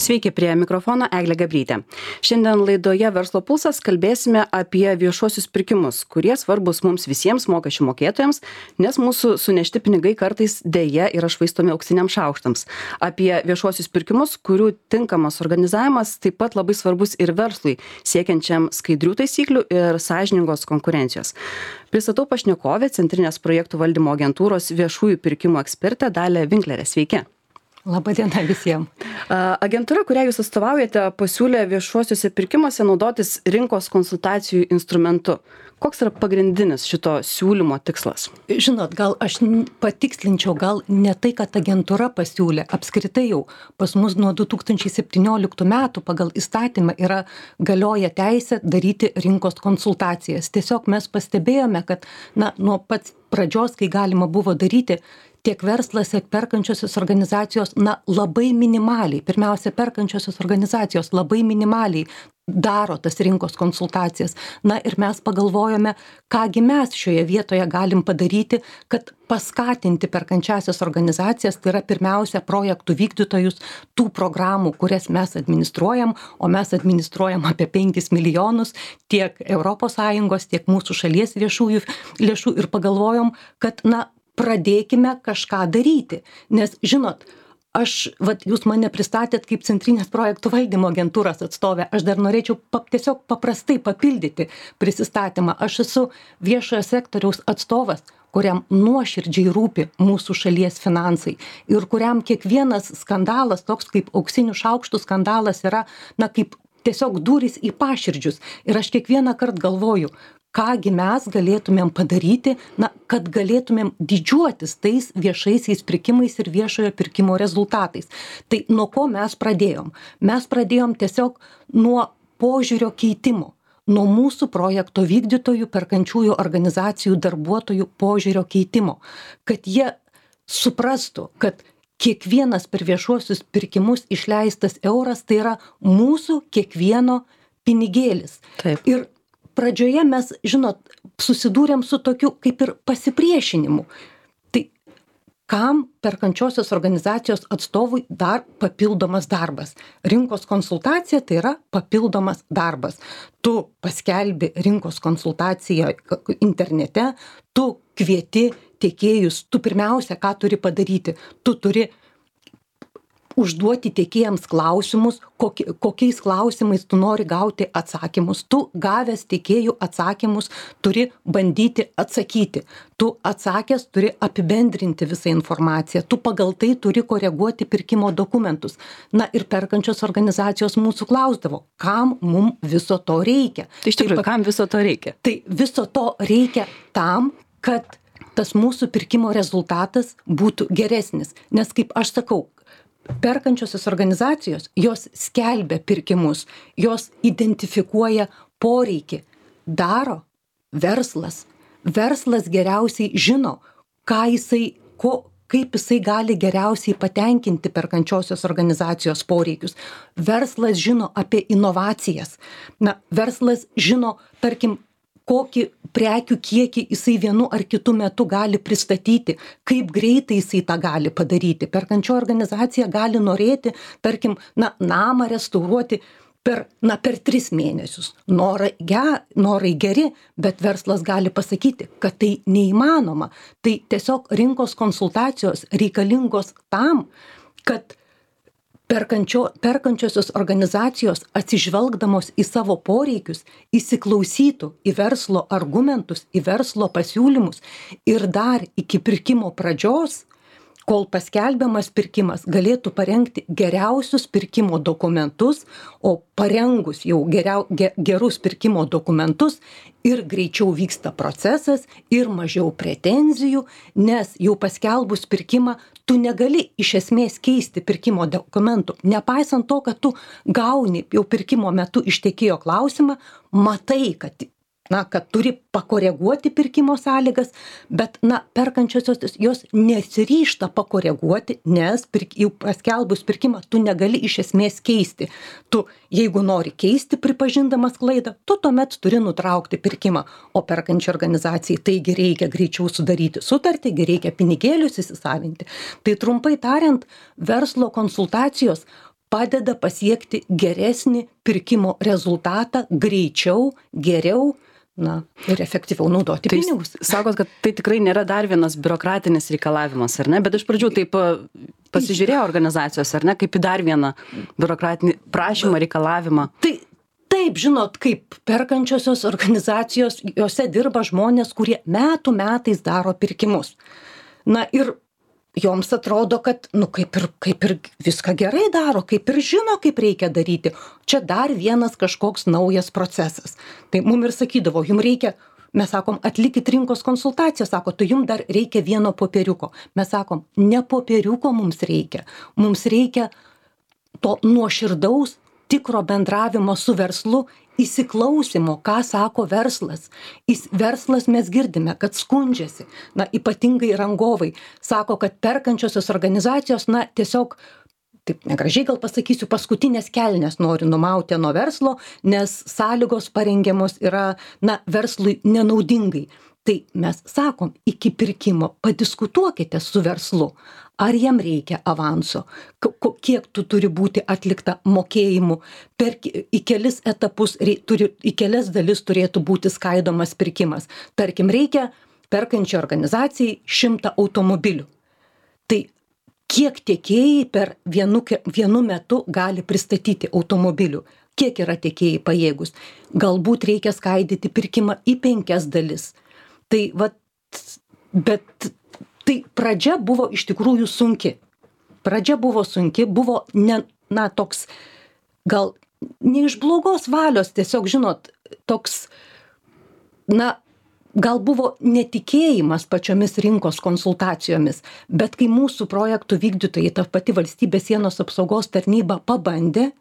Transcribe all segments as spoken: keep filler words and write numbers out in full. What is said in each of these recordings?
Sveiki, prie mikrofono Eglė Gabrytė. Šiandien laidoje Verslo pulsas kalbėsime apie viešuosius pirkimus, kurie svarbus mums visiems mokesčių mokėtojams, nes mūsų sunešti pinigai kartais dėja yra švaistomi auksiniam šaukštams. Apie viešuosius pirkimus, kurių tinkamas organizavimas taip pat labai svarbus ir verslui, siekiančiam skaidrių taisyklių ir sąžiningos konkurencijos. Pristatau pašnekovę, Centrinės projektų valdymo agentūros viešųjų pirkimų ekspertę Dalią Winklerę. Sveiki. Labą dieną visiems. Agentūra, kurią jūs atstovaujate, pasiūlė viešuosiuose pirkimuose naudotis rinkos konsultacijų instrumentu. Koks yra pagrindinis šito siūlymo tikslas? Žinot, gal aš patikslinčiau, gal ne tai, kad agentūra pasiūlė. Apskritai jau pas mus nuo du tūkstančiai septynioliktų metų pagal įstatymą yra galioja teisė daryti rinkos konsultacijas. Tiesiog mes pastebėjome, kad na, nuo pats pradžios, kai galima buvo daryti, tiek verslas, tiek perkančiosios organizacijos, na, labai minimaliai, pirmiausia, perkančiosios organizacijos labai minimaliai daro tas rinkos konsultacijas. Na ir mes pagalvojome, kągi mes šioje vietoje galim padaryti, kad paskatinti perkančiasias organizacijas, tai yra pirmiausia projektų vykdytojus, tų programų, kurias mes administruojam, o mes administruojam apie penkis milijonus tiek Europos Sąjungos, tiek mūsų šalies viešųjų lėšų ir pagalvojom, kad, na, pradėkime kažką daryti. Nes, žinot, aš, vat, jūs mane pristatėt kaip Centrinės projektų valdymo agentūros atstovė. Aš dar norėčiau pap, tiesiog paprastai papildyti prisistatymą. Aš esu viešojo sektoriaus atstovas, kuriam nuoširdžiai rūpi mūsų šalies finansai ir kuriam kiekvienas skandalas, toks kaip auksinių šaukštų skandalas, yra, na, kaip tiesiog durys į paširdžius. Ir aš kiekvieną kartą galvoju, kągi mes galėtumėm padaryti, na, kad galėtumėm didžiuotis tais viešaisiais pirkimais ir viešojo pirkimo rezultatais. Tai nuo ko mes pradėjom? Mes pradėjom tiesiog nuo požiūrio keitimo, nuo mūsų projekto vykdytojų, perkančiųjų organizacijų, darbuotojų požiūrio keitimo, kad jie suprastų, kad kiekvienas per viešuosius pirkimus išleistas euras tai yra mūsų kiekvieno pinigėlis. Taip. Ir pradžioje mes, žinot, susidūrėm su tokiu kaip ir pasipriešinimu. Tai kam perkančiosios organizacijos atstovui dar papildomas darbas? Rinkos konsultacija tai yra papildomas darbas. Tu paskelbi rinkos konsultaciją internete, tu kvieti tiekėjus, tu pirmiausia, ką turi padaryti? Tu turi užduoti tiekėjams klausimus, kokie, kokiais klausimais tu nori gauti atsakymus. Tu gavęs tiekėjų atsakymus turi bandyti atsakyti. Tu atsakęs turi apibendrinti visą informaciją. Tu pagal tai turi koreguoti pirkimo dokumentus. Na ir perkančios organizacijos mūsų klausdavo, kam mum viso to reikia. Tai iš tikrųjų, tai, kam viso to reikia? Tai viso to reikia tam, kad tas mūsų pirkimo rezultatas būtų geresnis. Nes kaip aš sakau, perkančiosios organizacijos, jos skelbia pirkimus, jos identifikuoja poreikį, daro verslas. Verslas geriausiai žino, ką jisai, ko, kaip jisai gali geriausiai patenkinti perkančiosios organizacijos poreikius. Verslas žino apie inovacijas. Na, verslas žino, tarkim, kokį prekių kiekį jisai vienu ar kitu metu gali pristatyti, kaip greitai jisai tą gali padaryti. Perkančioji organizacija gali norėti, tarkim, na, namą restauruoti per, na, per tris mėnesius. Norai, ge, norai geri, bet verslas gali pasakyti, kad tai neįmanoma. Tai tiesiog rinkos konsultacijos reikalingos tam, kad Perkančio, perkančiosios organizacijos atsižvelgdamos į savo poreikius, įsiklausytų į verslo argumentus, į verslo pasiūlymus ir dar iki pirkimo pradžios, kol paskelbiamas pirkimas, galėtų parengti geriausius pirkimo dokumentus, o parengus jau geriau, ge, gerus pirkimo dokumentus ir greičiau vyksta procesas ir mažiau pretenzijų, nes jau paskelbus pirkimą tu negali iš esmės keisti pirkimo dokumentų. Nepaisant to, kad tu gauni jau pirkimo metu iš tiekėjo klausimą, matai, kad na, kad turi pakoreguoti pirkimo sąlygas, bet, na, perkančiosios jos nesiryžta pakoreguoti, nes pirk, jau paskelbus pirkimą tu negali iš esmės keisti. Tu, jeigu nori keisti pripažindamas klaidą, tu tuomet turi nutraukti pirkimą, o perkančiai organizacijai taigi reikia greičiau sudaryti sutartį, reikia pinigėlius įsisavinti. Tai trumpai tariant, verslo konsultacijos padeda pasiekti geresnį pirkimo rezultatą, greičiau, geriau, na, ir efektyviau naudoti tai pinigus. Sakot, kad tai tikrai nėra dar vienas biurokratinis reikalavimas, ar ne? Bet iš pradžių taip pasižiūrėjo organizacijos, ar ne, kaip į dar vieną biurokratinį prašymą, reikalavimą. Tai taip, žinot, kaip perkančiosios organizacijos, jose dirba žmonės, kurie metų metais daro pirkimus. Na ir joms atrodo, kad, nu, kaip ir, kaip ir viską gerai daro, kaip ir žino, kaip reikia daryti. Čia dar vienas kažkoks naujas procesas. Tai mum ir sakydavo, jum reikia, mes sakom, atlikit rinkos konsultaciją, sako, tai jum dar reikia vieno popieriuko. Mes sakom, ne popieriuko mums reikia, mums reikia to nuoširdaus, tikro bendravimo su verslu, įsiklausimo, ką sako verslas. Įs, verslas mes girdime, kad skundžiasi, na, ypatingai rangovai, sako, kad perkančiosios organizacijos, na, tiesiog, taip negražiai gal pasakysiu, paskutinės kelnes nori numauti nuo verslo, nes sąlygos parengiamos yra, na, verslui nenaudingai. Tai mes sakom, iki pirkimo padiskutuokite su verslu, ar jam reikia avanso, kiek tu turi būti atlikta mokėjimų, per, į kelis etapus, turi, į kelias dalis turėtų būti skaidomas pirkimas. Tarkim, reikia perkančiai organizacijai šimtą automobilių. Tai kiek tiekėjai per vienu, vienu metu gali pristatyti automobilių? Kiek yra tiekėjai pajėgus? Galbūt reikia skaidyti pirkimą į penkias dalis. Tai, vat, bet tai pradžia buvo iš tikrųjų sunki. Pradžia buvo sunki, buvo ne, na, toks, gal ne iš blogos valios, tiesiog, žinot, toks, na, gal buvo netikėjimas pačiomis rinkos konsultacijomis, bet kai mūsų projektų vykdytojai, ta pati valstybės sienos apsaugos tarnyba pabandė,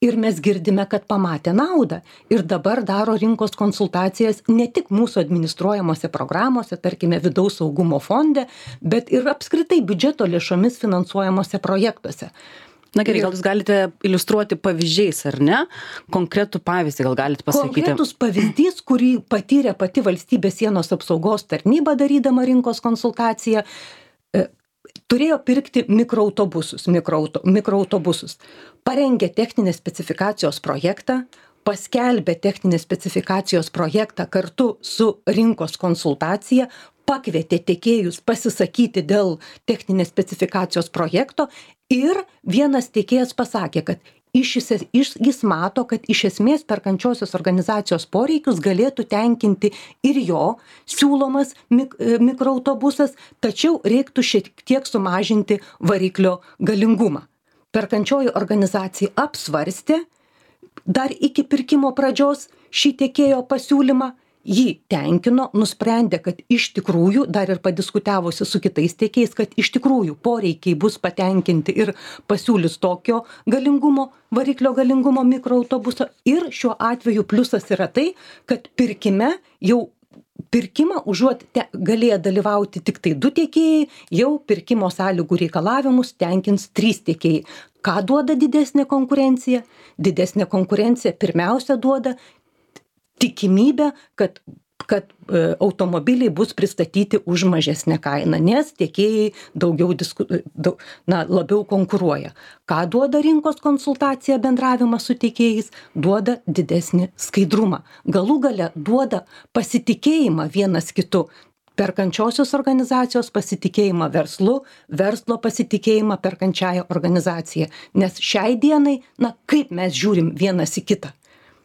ir mes girdime, kad pamatė naudą. Ir dabar daro rinkos konsultacijas ne tik mūsų administruojamose programuose, tarkime, vidaus saugumo fonde, bet ir apskritai biudžeto lėšomis finansuojamose projektuose. Na gerai, gal jūs galite iliustruoti pavyzdžiais, ar ne? Konkretų pavyzdį gal galite pasakyti? Konkretus pavyzdys, kurį patyrė pati valstybės sienos apsaugos tarnyba darydama rinkos konsultaciją, turėjo pirkti mikroautobusus, mikroauto, mikroautobusus. Parengė techninės specifikacijos projektą, paskelbė techninės specifikacijos projektą kartu su rinkos konsultacija, pakvietė tiekėjus pasisakyti dėl techninės specifikacijos projekto ir vienas tiekėjas pasakė, kad iš, iš, jis mato, kad iš esmės perkančiosios organizacijos poreikius galėtų tenkinti ir jo siūlomas mik, mikroautobusas, tačiau reiktų šiek tiek sumažinti variklio galingumą. Perkančioji organizacija apsvarstė dar iki pirkimo pradžios šį tiekėjo pasiūlymą, jį tenkino, nusprendė, kad iš tikrųjų, dar ir padiskutavusi su kitais tiekėjais, kad iš tikrųjų poreikiai bus patenkinti ir pasiūlys tokio galingumo, variklio galingumo mikroautobuso. Ir šiuo atveju pliusas yra tai, kad pirkime jau pirkimą užuot te, galėję dalyvauti tik tai du tiekėjai, jau pirkimo sąlygų reikalavimus tenkins trys tiekėjai. Ką duoda didesnė konkurencija? Didesnė konkurencija pirmiausia duoda tikimybę, kad, kad e, automobiliai bus pristatyti už mažesnę kainą, nes tiekėjai daugiau disku, daug, na, labiau konkuruoja. Ką duoda rinkos konsultacija, bendravimas su tiekėjais? Duoda didesnį skaidrumą. Galų gale duoda pasitikėjimą vienas kitu. Perkančiosios organizacijos pasitikėjimą verslu, verslo pasitikėjimą perkančiąją organizaciją. Nes šiai dienai, na, kaip mes žiūrim vienas į kitą?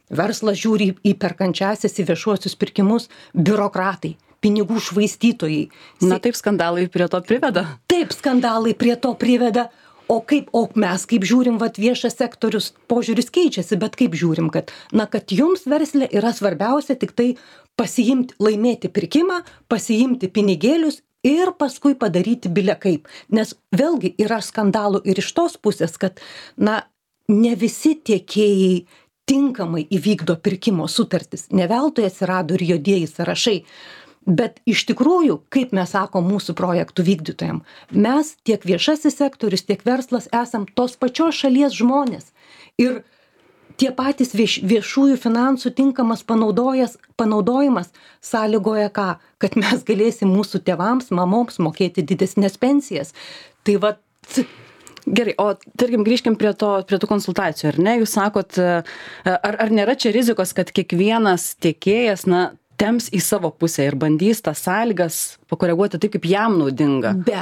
Verslas žiūri į perkančiąsias, į viešuosius pirkimus, biurokratai, pinigų švaistytojai. Na taip, skandalai prie to priveda. Taip, skandalai prie to priveda. O kaip, o mes kaip žiūrim, vat viešas sektorius, požiūris keičiasi, bet kaip žiūrim, kad, na, kad jums versle yra svarbiausia tik tai pasiimti, laimėti pirkimą, pasiimti pinigėlius ir paskui padaryti bile kaip. Nes vėlgi yra skandalų ir iš tos pusės, kad, na, ne visi tiekėjai tinkamai įvykdo pirkimo sutartis. Ne veltui atsirado ir juodieji sąrašai. Bet iš tikrųjų, kaip mes sakom mūsų projektų vykdytojam, mes tiek viešasis sektorius, tiek verslas esam tos pačios šalies žmonės. Ir tie patys vieš, viešųjų finansų tinkamas panaudojimas sąlygoja ką? Kad mes galėsim mūsų tėvams, mamoms mokėti didesnės pensijas. Tai va, Gerai, o tarkim grįžkim prie to, prie tų konsultacijų, ar ne? Jūs sakot, ar, ar nėra čia rizikos, kad kiekvienas tiekėjas, na, temps į savo pusę ir bandys tas sąlygas pakoreguoti taip, kaip jam naudinga? Be,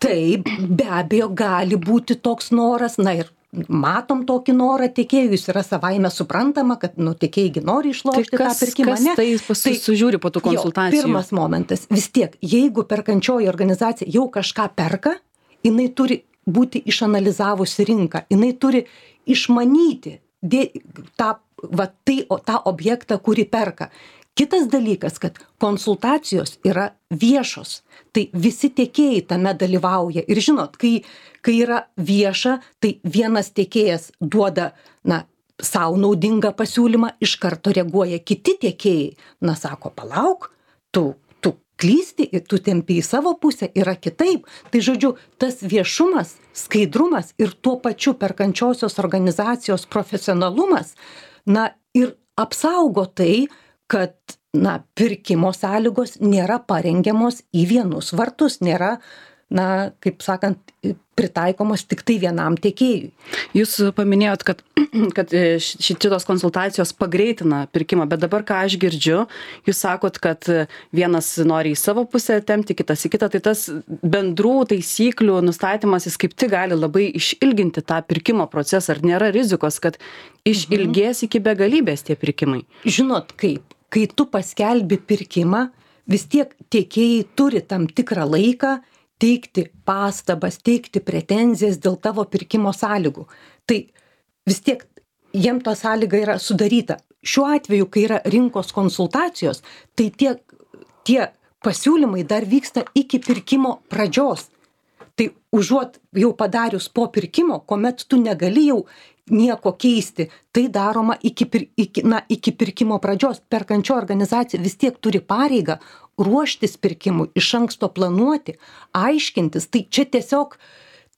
taip, be abejo, gali būti toks noras, na ir matom tokį norą tiekėjų, jis yra savaime suprantama, kad, nu, tiekėjai nori išlošti tai kas, tą pirkimą. Kas tai sužiūri po tų konsultacijų? Jo, pirmas momentas, vis tiek, jeigu perkančioji organizacija jau kažką perka, jinai turi būti išanalizavusi rinką, jinai turi išmanyti dė, tą, va, tai, o, tą objektą, kurį perka. Kitas dalykas, kad konsultacijos yra viešos, tai visi tiekėjai tame dalyvauja. Ir žinot, kai, kai yra vieša, tai vienas tiekėjas duoda, na, savo naudingą pasiūlymą, iš karto reaguoja kiti tiekėjai. Na, sako, palauk, tu klysti ir tu tempi į savo pusę, yra kitaip. Tai žodžiu, tas viešumas, skaidrumas ir tuo pačiu perkančiosios organizacijos profesionalumas, na, ir apsaugo tai, kad, na, pirkimo sąlygos nėra parengiamos į vienus vartus, nėra, na, kaip sakant, pritaikomos tik tai vienam tiekėjui. Jūs paminėjot, kad, kad šitos konsultacijos pagreitina pirkimą, bet dabar, ką aš girdžiu, jūs sakot, kad vienas nori į savo pusę tempti, kitas į kitą, tai tas bendrų taisyklių nustatymas, jis kaip tik gali labai išilginti tą pirkimo procesą. Ar nėra rizikos, kad išilgės iki begalybės tie pirkimai? Žinot, kaip, kai tu paskelbi pirkimą, vis tiek tiekėjai turi tam tikrą laiką teikti pastabas, teikti pretenzijas dėl tavo pirkimo sąlygų. Tai vis tiek jiem ta sąlyga yra sudaryta. Šiuo atveju, kai yra rinkos konsultacijos, tai tie, tie pasiūlymai dar vyksta iki pirkimo pradžios. Tai užuot jau padarius po pirkimo, kuomet tu negali jau nieko keisti, tai daroma iki, iki, na, iki pirkimo pradžios. Perkančio organizacija vis tiek turi pareigą ruoštis pirkimui, iš anksto planuoti, aiškintis. Tai čia tiesiog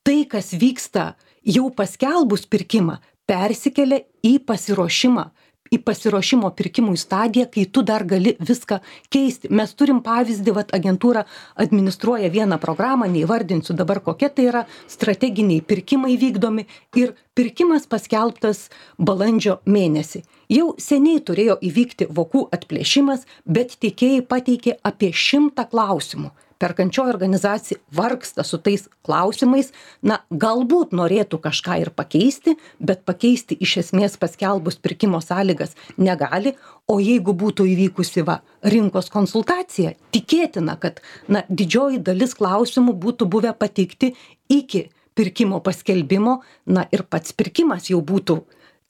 tai, kas vyksta jau paskelbus pirkimą, persikelia į pasiruošimą, į pasiruošimo pirkimui stadiją, kai tu dar gali viską keisti. Mes turim pavyzdį, vat agentūra administruoja vieną programą, neįvardinsiu dabar kokia tai yra, strateginiai pirkimai vykdomi ir pirkimas paskelbtas balandžio mėnesį. Jau seniai turėjo įvykti vokų atplėšimas, bet tiekėjai pateikė apie šimtą klausimų. Perkančioji organizacija vargsta su tais klausimais, na, galbūt norėtų kažką ir pakeisti, bet pakeisti iš esmės paskelbus pirkimo sąlygas negali, o jeigu būtų įvykusi va, rinkos konsultacija, tikėtina, kad, na, didžioji dalis klausimų būtų buvę pateikti iki pirkimo paskelbimo, na, ir pats pirkimas jau būtų,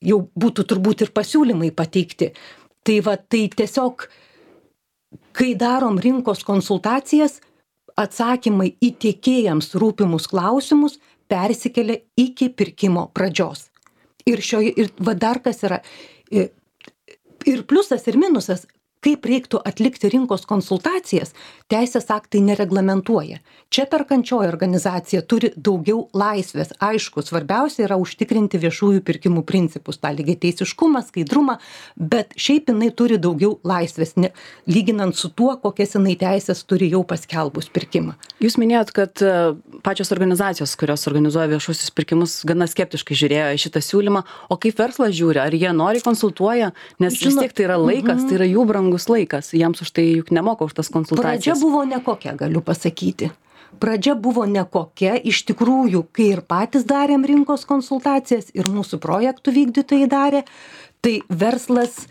jau būtų turbūt ir pasiūlymai pateikti. Tai va, tai tiesiog, kai darom rinkos konsultacijas, atsakymai į tiekėjams rūpimus klausimus persikelia iki pirkimo pradžios. Ir, šioje, ir va dar kas yra, ir pliusas, ir minusas, kaip reiktų atlikti rinkos konsultacijas, teisės aktai nereglamentuoja. Čia perkančioji organizacija turi daugiau laisvės. Aišku, svarbiausia yra užtikrinti viešųjų pirkimų principus, tą lygiateisiškumą, skaidrumą, bet šiaip jinai turi daugiau laisvės, ne, lyginant su tuo, kokias jinai teisės turi jau paskelbus pirkimą. Jūs minėjot, kad pačios organizacijos, kurios organizuoja viešuosius pirkimus, gana skeptiškai žiūrėjo į šitą siūlymą, o kaip verslas žiūri, ar jie nori konsultuoja, nes Žinot, vis tiek tai yra laikas, tai yra jų brangus laikas, jiems už tai juk nemoka už tas konsultacijas. Pradžia buvo nekokia, galiu pasakyti. Pradžia buvo nekokia, iš tikrųjų, kai ir patys darėm rinkos konsultacijas ir mūsų projektų vykdytojai darė, tai verslas,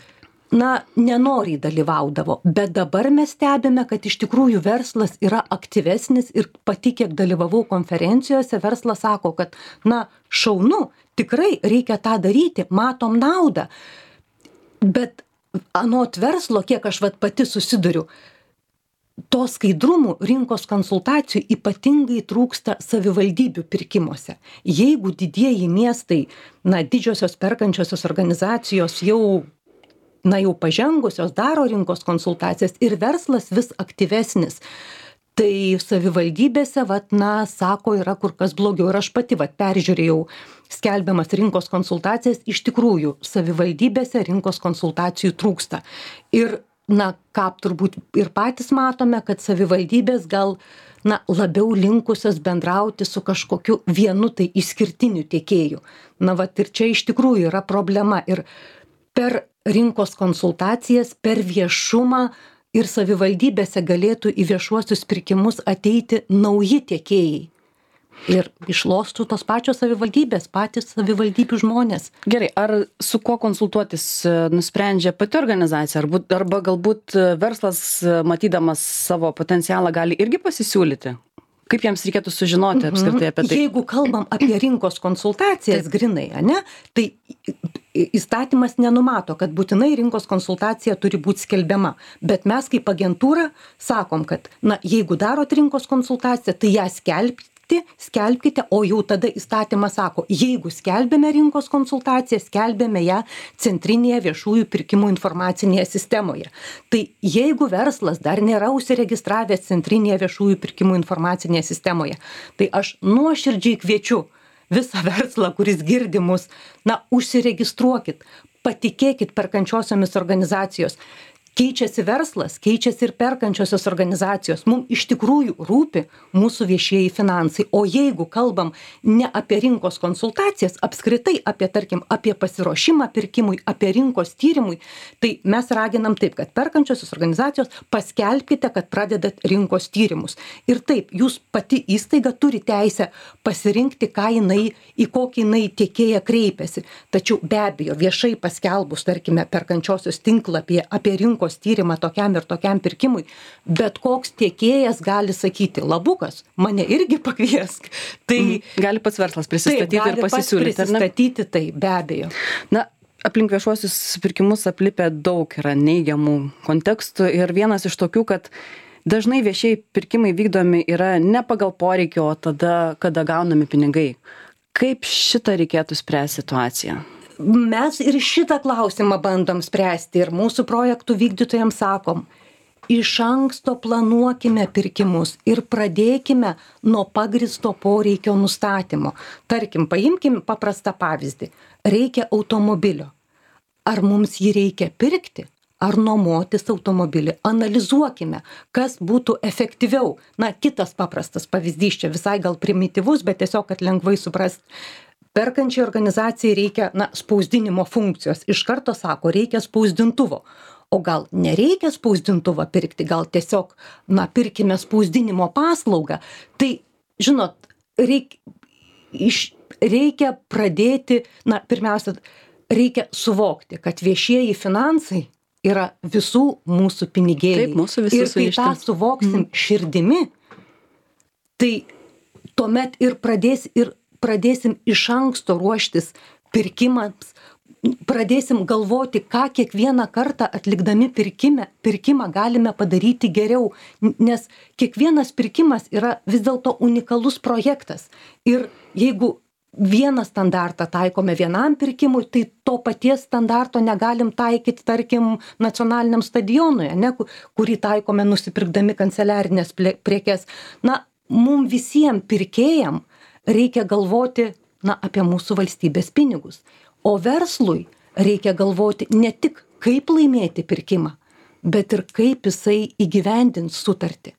na, nenoriai dalyvaudavo, bet dabar mes stebime, kad iš tikrųjų verslas yra aktyvesnis ir pati, kiek dalyvavau konferencijose, verslas sako, kad, na, šaunu, tikrai reikia tą daryti, matom naudą, bet anot verslo, kiek aš vat pati susiduriu, to skaidrumų rinkos konsultacijų ypatingai trūksta savivaldybių pirkimuose. Jeigu didieji miestai, na, didžiosios perkančiosios organizacijos jau, na, jau pažengusios daro rinkos konsultacijas ir verslas vis aktyvesnis, tai savivaldybėse, vat, na, sako, yra kur kas blogiau. Ir aš pati, vat, peržiūrėjau skelbiamas rinkos konsultacijas, iš tikrųjų savivaldybėse rinkos konsultacijų trūksta. Ir na, ką turbūt ir patys matome, kad savivaldybės gal na, labiau linkusios bendrauti su kažkokiu vienu tai išskirtiniu tiekėju. Na, vat ir čia iš tikrųjų yra problema. Ir per rinkos konsultacijas, per viešumą ir savivaldybėse galėtų į viešuosius pirkimus ateiti nauji tiekėjai. Ir išlostų tos pačios savivaldybės, patys savivaldybių žmonės. Gerai, ar su kuo konsultuotis nusprendžia pati organizacija, arba, arba galbūt verslas, matydamas savo potencialą, gali irgi pasisiūlyti? Kaip jiems reikėtų sužinoti apskritai apie tai? Jeigu kalbam apie rinkos konsultacijas Taip. Grinai, ane, tai įstatymas nenumato, kad būtinai rinkos konsultacija turi būti skelbiama. Bet mes kaip agentūra sakom, kad na, jeigu darot rinkos konsultaciją, tai ją skelbti. Skelbkite, o jau tada įstatymas sako, jeigu skelbėme rinkos konsultaciją, skelbėme ją centrinėje viešųjų pirkimų informacinėje sistemoje. Tai jeigu verslas dar nėra užsiregistravęs centrinėje viešųjų pirkimų informacinėje sistemoje, tai aš nuoširdžiai kviečiu visą verslą, kuris girdi mus, na, užsiregistruokit, patikėkit perkančiosiomis organizacijos. Keičiasi verslas, keičiasi ir perkančiosios organizacijos. Mums iš tikrųjų rūpi mūsų viešieji finansai. O jeigu kalbam ne apie rinkos konsultacijas, apskritai apie, tarkim, apie pasiruošimą pirkimui, apie rinkos tyrimui, tai mes raginam taip, kad perkančiosios organizacijos paskelbkite, kad pradedat rinkos tyrimus. Ir taip, jūs pati įstaiga turi teisę pasirinkti, ką jinai, į kokį jinai tiekėją kreipiasi. Tačiau be abejo, viešai paskelbus, tarkime, perkančiosios tinklapyje apie rinkos tyrimą tokiam ir tokiam pirkimui, bet koks tiekėjas gali sakyti, labukas, mane irgi pakviesk. Tai mm. gali pats verslas prisistatyti taip, ir pasisiūlyti. Prisistatyti, tai be abejo. Na, aplink viešuosius pirkimus aplipę daug yra neigiamų kontekstų ir vienas iš tokių, kad dažnai viešieji pirkimai vykdomi yra ne pagal poreikį, o tada, kada gaunami pinigai. Kaip šitą reikėtų spręsti situaciją? Mes ir šitą klausimą bandom spręsti ir mūsų projektų vykdytojams sakom, iš anksto planuokime pirkimus ir pradėkime nuo pagristo poreikio nustatymo. Tarkim, paimkim paprastą pavyzdį. Reikia automobilio. Ar mums jį reikia pirkti? Ar nuomotis automobilį? Analizuokime, kas būtų efektyviau. Na, kitas paprastas pavyzdys, čia visai gal primityvus, bet tiesiog, kad lengvai suprast. Perkančiai organizacijai reikia, na, spausdinimo funkcijos. Iš karto sako, reikia spausdintuvo. O gal nereikia spausdintuvo pirkti, gal tiesiog, na, pirkime spausdinimo paslaugą. Tai, žinot, reik, iš, reikia pradėti, na, pirmiausia, reikia suvokti, kad viešieji finansai yra visų mūsų pinigėliai. Taip, mūsų visų ir kai tą suvoksim mm. širdimi, tai tuomet ir pradės ir pradėsim iš anksto ruoštis pirkimams, pradėsim galvoti, ką kiekvieną kartą atlikdami pirkime, pirkimą galime padaryti geriau, nes kiekvienas pirkimas yra vis dėlto unikalus projektas. Ir jeigu vieną standartą taikome vienam pirkimui, tai to paties standarto negalim taikyti, tarkim, nacionaliniam stadionui, ne, kurį taikome nusipirkdami kanceliarinės prekes. Na, mum visiems pirkėjam reikia galvoti, na, apie mūsų valstybės pinigus. O verslui reikia galvoti ne tik, kaip laimėti pirkimą, bet ir kaip jisai įgyvendins sutartį.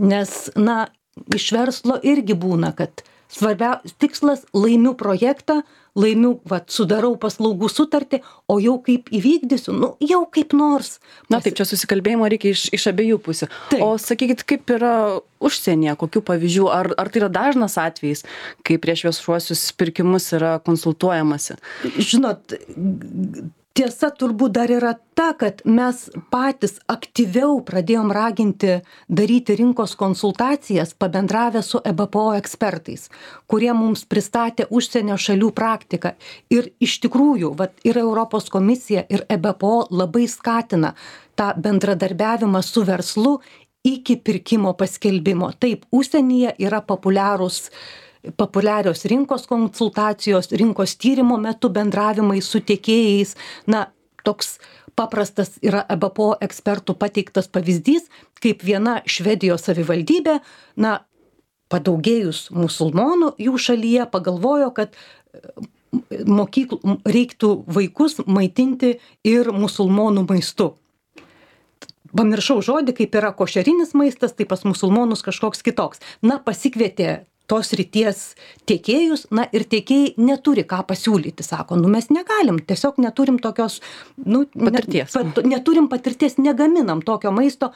Nes, na, iš verslo irgi būna, kad svarbiausias tikslas laimiu projektą, laimiu, va, sudarau paslaugų sutartį, o jau kaip įvykdysiu, nu, jau kaip nors. Na taip, čia susikalbėjimo reikia iš, iš abiejų pusių. Taip. O sakykit, kaip yra užsienyje, kokių pavyzdžių, ar, ar tai yra dažnas atvejis, kai prieš viešuosius pirkimus yra konsultuojamasi? Žinot, tiesa turbūt dar yra ta, kad mes patys aktyviau pradėjom raginti daryti rinkos konsultacijas, pabendravę su E B P O ekspertais, kurie mums pristatė užsienio šalių praktiką. Ir iš tikrųjų, vat, ir Europos komisija, ir E B P O labai skatina tą bendradarbiavimą su verslu iki pirkimo paskelbimo. Taip, užsienyje yra populiarūs populiarios rinkos konsultacijos, rinkos tyrimo metu bendravimai su tiekėjais. Na, toks paprastas yra E B P O ekspertų pateiktas pavyzdys, kaip viena Švedijos savivaldybė, na, padaugėjus musulmonų jų šalyje, pagalvojo, kad mokyklų reiktų vaikus maitinti ir musulmonų maistu. pamiršau žodį, kaip yra košerinis maistas, tai pas musulmonus kažkoks kitoks. Na, pasikvietė tos ryties tiekėjus, na ir tiekėjai neturi ką pasiūlyti, sako, nu mes negalim, tiesiog neturim tokios, nu, patirties. Ne, pat, neturim patirties, negaminam tokio maisto,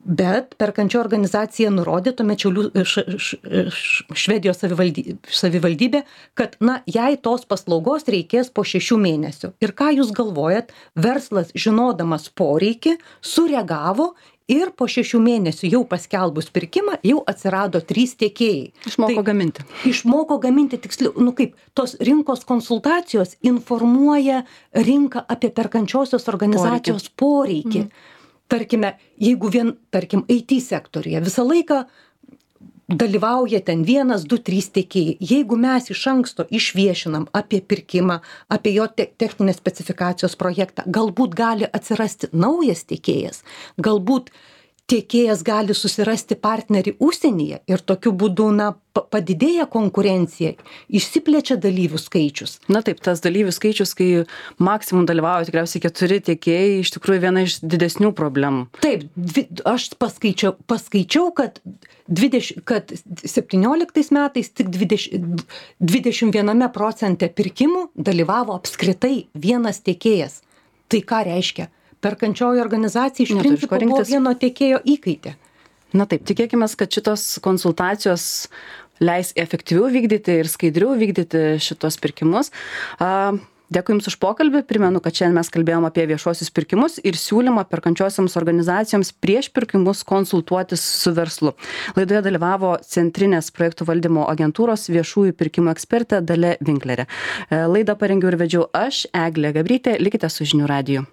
bet perkančio organizacija nurodė tuomet Šiaulių š, š, š, Švedijos savivaldybė, savivaldybė, kad, na, jei tos paslaugos reikės po šešių mėnesių. Ir ką jūs galvojat, verslas, žinodamas poreikį, sureagavo ir po šešių mėnesių jau paskelbus pirkimą, jau atsirado trys tiekėjai. Išmoko tai, gaminti. Išmoko gaminti, tiksliau, nu kaip, tos rinkos konsultacijos informuoja rinką apie perkančiosios organizacijos poreikį. poreikį. Mm. Tarkime, jeigu vien, tarkim, I T sektorija visą laiką dalyvauja ten vienas, du, trys tiekėjai. Jeigu mes iš anksto išviešinam apie pirkimą, apie jo te techninės specifikacijos projektą, galbūt gali atsirasti naujas tiekėjas, galbūt tiekėjas gali susirasti partnerį užsienyje ir tokiu būdu, na, padidėja konkurencija, išsiplečia dalyvių skaičius. Na taip, tas dalyvių skaičius, kai maksimum dalyvauja tikriausiai keturi tiekėjai, iš tikrųjų viena iš didesnių problemų. Taip, dvi, aš paskaičiau, paskaičiau kad, dvidešimt, kad septynioliktais metais tik dvidešimt, dvidešimt viename procente pirkimų dalyvavo apskritai vienas tiekėjas. Tai ką reiškia? Perkančioji organizacija iš principo buvo vieno tiekėjo įkaitė. Na taip, tikėkime, kad šitos konsultacijos leis efektyviau vykdyti ir skaidriau vykdyti šitos pirkimus. Dėkui Jums už pokalbį. Primenu, kad šiandien mes kalbėjom apie viešuosius pirkimus ir siūlymą perkančiosioms organizacijoms prieš pirkimus konsultuotis su verslu. Laidoje dalyvavo Centrinės projektų valdymo agentūros viešųjų pirkimų ekspertė Dalia Winklerė. Laidą parengiau ir vedžiau aš, Eglė Gabrytė. Likite su Žinių radiju.